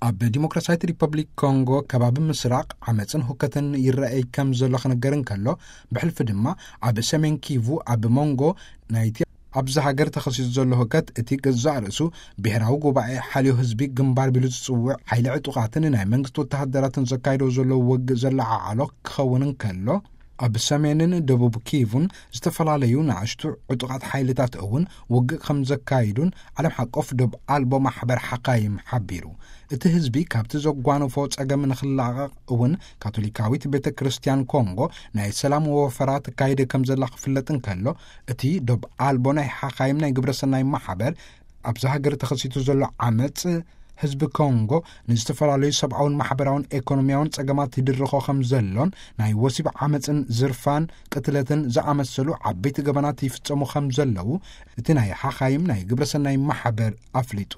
ኣብ ዲሞክራሲያዊት ሪፐብሊክ ኮንጎ ከባቢ ምስራቕ ዓመፅን ሁከትን ይረኣይ ከም ዘሎ ክነገር እንከሎ፣ ብሕልፊ ድማ ኣብ ሰሜን ኪቩ ኣብ መንጎ ናይቲ ኣብዚ ሃገር ተኸሲቱ ዘሎ ሁከት፣ እቲ ገዛእ ርእሱ ብሔራዊ ጉባኤ ሓልዮ ህዝቢ ግንባር ቢሉ ዝጽውዕ ሓይሊ ዕጡቓትን ናይ መንግስቲ ወተሃደራትን ዘካይዶ ዘሎ ውግእ ዘለዓዓሎ ክኸውን እንከሎ፣ ኣብ ሰሜንን ደቡብ ኪቩን ዝተፈላለዩ ንኣሽቱ ዕጡቓት ሓይልታት እውን ውግእ ከም ዘካይዱን ዓለም ሓቆፍ ዶብ ኣልቦ ማሕበር ሓካይም ሓቢሩ። እቲ ህዝቢ ካብቲ ዘጓነፎ ጸገም ንኽላቐቕ እውን ካቶሊካዊት ቤተ ክርስቲያን ኮንጎ ናይ ሰላም ወፈራ ትካይደ ከም ዘላ ክፍለጥ እንከሎ፣ እቲ ዶብ ኣልቦ ናይ ሓኻይም ናይ ግብረሰናይ ማሕበር፣ ኣብዛ ሃገር ተኸሲቱ ዘሎ ዓመጽ ህዝቢ ኮንጎ ንዝተፈላለዩ ሰብኣውን ማሕበራውን ኤኮኖሚያውን ጸገማት ይድርኾ ከም ዘሎን፣ ናይ ወሲብ ዓመጽን ዝርፋን ቅትለትን ዝኣመሰሉ ዓበይቲ ገበናት ይፍጸሙ ከም ዘለዉ እቲ ናይ ሓኻይም ናይ ግብረሰናይ ማሕበር ኣፍሊጡ።